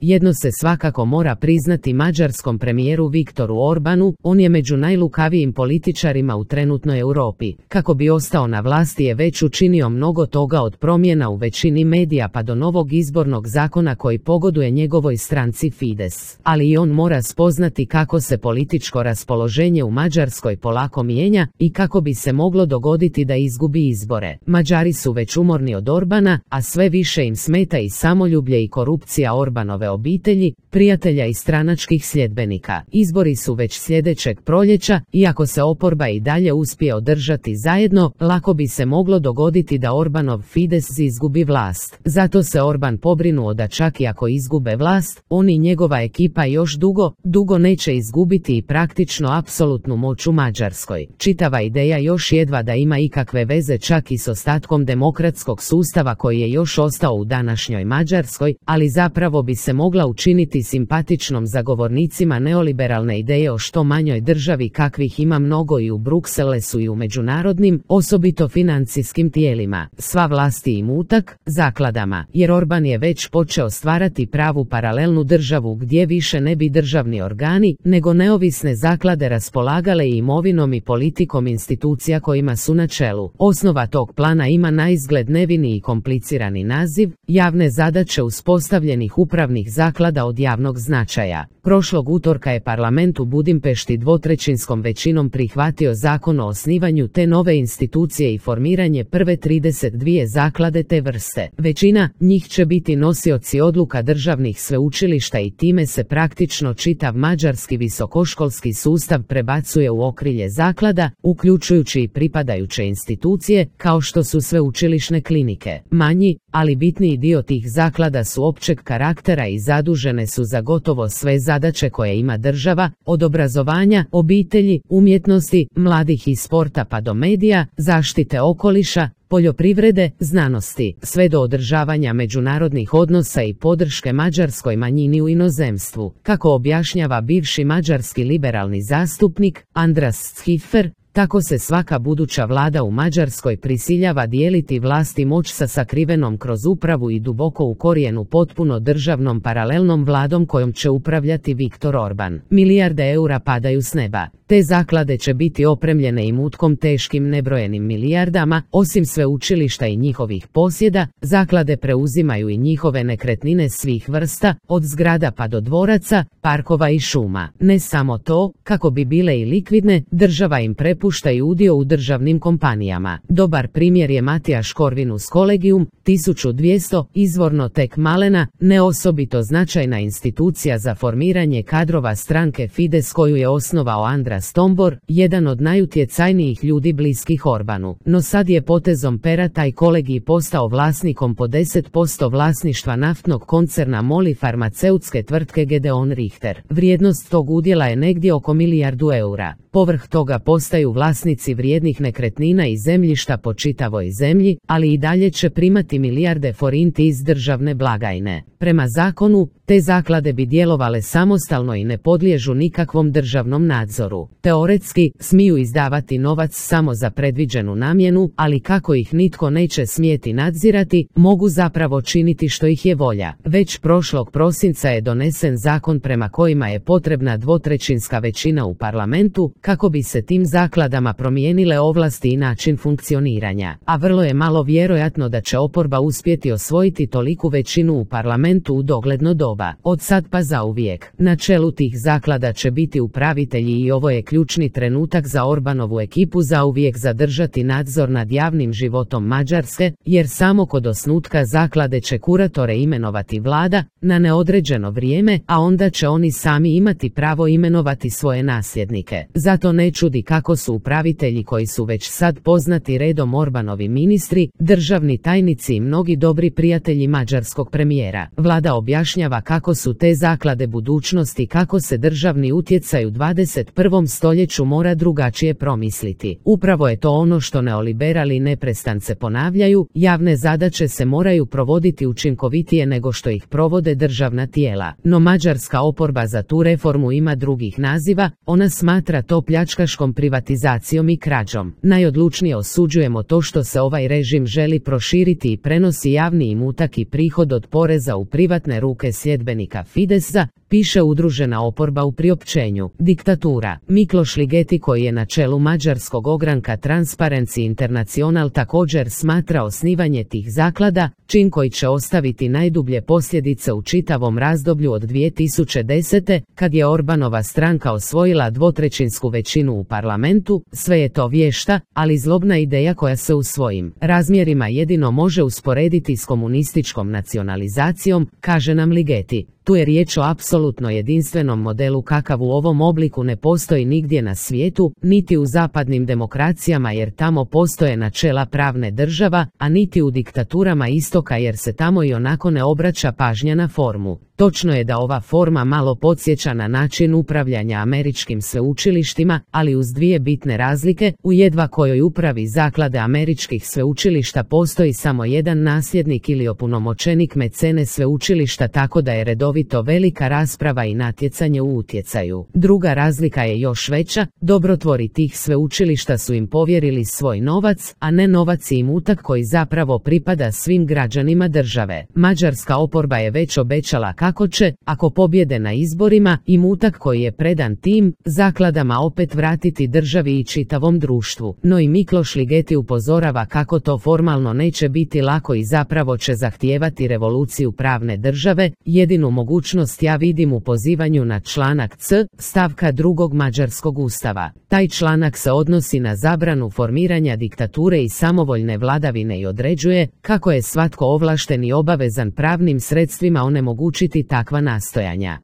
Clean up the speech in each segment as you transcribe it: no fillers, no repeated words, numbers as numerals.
Jedno se svakako mora priznati mađarskom premijeru Viktoru Orbanu, on je među najlukavijim političarima u trenutnoj Europi. Kako bi ostao na vlasti je već učinio mnogo toga, od promjena u većini medija pa do novog izbornog zakona koji pogoduje njegovoj stranci Fides. Ali i on mora spoznati kako se političko raspoloženje u Mađarskoj polako mijenja i kako bi se moglo dogoditi da izgubi izbore. Mađari su već umorni od Orbana, a sve više im smeta i samoljublje i korupcija Orbanove obitelji, prijatelja i stranačkih sljedbenika. Izbori su već sljedećeg proljeća, iako se oporba i dalje uspije održati zajedno, lako bi se moglo dogoditi da Orbanov Fides izgubi vlast. Zato se Orban pobrinuo da čak i ako izgube vlast, on i njegova ekipa još dugo neće izgubiti i praktično apsolutnu moć u Mađarskoj. Čitava ideja još jedva da ima ikakve veze čak i s ostatkom demokratskog sustava koji je još ostao u današnjoj Mađarskoj, ali zapravo bi se mogla učiniti simpatičnom zagovornicima neoliberalne ideje o što manjoj državi kakvih ima mnogo i u Brukselesu i u međunarodnim, osobito financijskim tijelima, sva vlasti i mutak, zakladama, jer Orban je već počeo stvarati pravu paralelnu državu gdje više ne bi državni organi, nego neovisne zaklade raspolagale i imovinom i politikom institucija kojima su na čelu. Osnova tog plana ima naizgled nevini i komplicirani naziv, javne zadaće uspostavljenih upravnih zaklada od javnog značaja. Prošlog utorka je parlament u Budimpešti dvotrećinskom većinom prihvatio zakon o osnivanju te nove institucije i formiranje prve 32 zaklade te vrste. Većina njih će biti nosioci odluka državnih sveučilišta i time se praktično čitav mađarski visokoškolski sustav prebacuje u okrilje zaklada, uključujući i pripadajuće institucije, kao što su sveučilišne klinike. Manji, ali bitniji dio tih zaklada su općeg karaktera i zadužene su za gotovo sve zadaće koje ima država, od obrazovanja, obitelji, umjetnosti, mladih i sporta pa do medija, zaštite okoliša, poljoprivrede, znanosti, sve do održavanja međunarodnih odnosa i podrške mađarskoj manjini u inozemstvu. Kako objašnjava bivši mađarski liberalni zastupnik Andras Schiffer, tako se svaka buduća vlada u Mađarskoj prisiljava dijeliti vlast i moć sa sakrivenom kroz upravu i duboko u korijenu potpuno državnom paralelnom vladom kojom će upravljati Viktor Orban. Milijarde eura padaju s neba. Te zaklade će biti opremljene i mutkom teškim nebrojenim milijardama. Osim sveučilišta i njihovih posjeda, zaklade preuzimaju i njihove nekretnine svih vrsta, od zgrada pa do dvoraca, parkova i šuma. Ne samo to, kako bi bile i likvidne, država im prepušta i udio u državnim kompanijama. Dobar primjer je Matijaš Corvinus Collegium, 1200, izvorno tek malena, ne osobito značajna institucija za formiranje kadrova stranke Fides koju je osnovao Andras Tombor, jedan od najutjecajnijih ljudi bliskih Orbanu. No sad je potezom pera taj kolegij postao vlasnikom po 10% vlasništva naftnog koncerna MOL i farmaceutske tvrtke Gedeon Richter. Vrijednost tog udjela je negdje oko milijardu eura. Povrh toga postaju vlasnici vrijednih nekretnina i zemljišta po čitavoj zemlji, ali i dalje će primati milijarde forinti iz državne blagajne. Prema zakonu, te zaklade bi djelovale samostalno i ne podliježu nikakvom državnom nadzoru. Teoretski, smiju izdavati novac samo za predviđenu namjenu, ali kako ih nitko neće smjeti nadzirati, mogu zapravo činiti što ih je volja. Već prošlog prosinca je donesen zakon prema kojima je potrebna dvotrećinska većina u parlamentu, kako bi se tim zakladama promijenile ovlasti i način funkcioniranja. A vrlo je malo vjerojatno da će oporba uspjeti osvojiti toliku većinu u parlamentu u dogledno doba. Od sad pa zauvijek. Na čelu tih zaklada će biti upravitelji i ovo je ključni trenutak za Orbanovu ekipu zauvijek zadržati nadzor nad javnim životom Mađarske, jer samo kod osnutka zaklade će kuratore imenovati vlada na neodređeno vrijeme, a onda će oni sami imati pravo imenovati svoje nasljednike. Zato ne čudi kako su upravitelji koji su već sad poznati redom Orbanovi ministri, državni tajnici i mnogi dobri prijatelji mađarskog premijera. Vlada objašnjava kako su te zaklade budućnosti i kako se državni utjecaj u 21. stoljeću mora drugačije promisliti. Upravo je to ono što neoliberali neprestance ponavljaju, javne zadaće se moraju provoditi učinkovitije nego što ih provode državna tijela. No mađarska oporba za tu reformu ima drugih naziva, ona smatra to pljačkaškom privatizacijom privatizacijom i krađom. Najodlučnije osuđujemo to što se ovaj režim želi proširiti i prenosi javni imutak i prihod od poreza u privatne ruke sljedbenika Fidesa, piše udružena oporba u priopćenju. Diktatura. Mikloš Ligeti, koji je na čelu mađarskog ogranka Transparency International, također smatra osnivanje tih zaklada čin koji će ostaviti najdublje posljedice u čitavom razdoblju od 2010. kad je Orbanova stranka osvojila dvotrećinsku većinu u parlamentu. Sve je to vješta, ali zlobna ideja koja se u svojim razmjerima jedino može usporediti s komunističkom nacionalizacijom, kaže nam Ligeti. Tu je riječ o apsolutno jedinstvenom modelu kakav u ovom obliku ne postoji nigdje na svijetu, niti u zapadnim demokracijama jer tamo postoje načela pravne država, a niti u diktaturama istoka jer se tamo i onako ne obraća pažnja na formu. Točno je da ova forma malo podsjeća na način upravljanja američkim sveučilištima, ali uz dvije bitne razlike: u jedva kojoj upravi zaklade američkih sveučilišta postoji samo jedan nasljednik ili opunomoćenik mecene sveučilišta, tako da je redovito velika rasprava i natjecanje u utjecaju. Druga razlika je još veća: dobrotvori tih sveučilišta su im povjerili svoj novac, a ne novac i imutak koji zapravo pripada svim građanima države. Mađarska oporba je već obećala kako će, ako pobjede na izborima, imutak koji je predan tim zakladama opet vratiti državi i čitavom društvu. No i Mikloš Ligeti upozorava kako to formalno neće biti lako i zapravo će zahtijevati revoluciju pravne države. Jedinu mogućnost ja vidim u pozivanju na članak C stavka 2. mađarskog ustava. Taj članak se odnosi na zabranu formiranja diktature i samovoljne vladavine i određuje kako je svatko ovlašten i obavezan pravnim sredstvima onemogućiti takva nastojanja.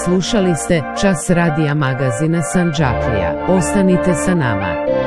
Slušali ste Čas radija magazina Sandžaklija. Ostanite sa nama.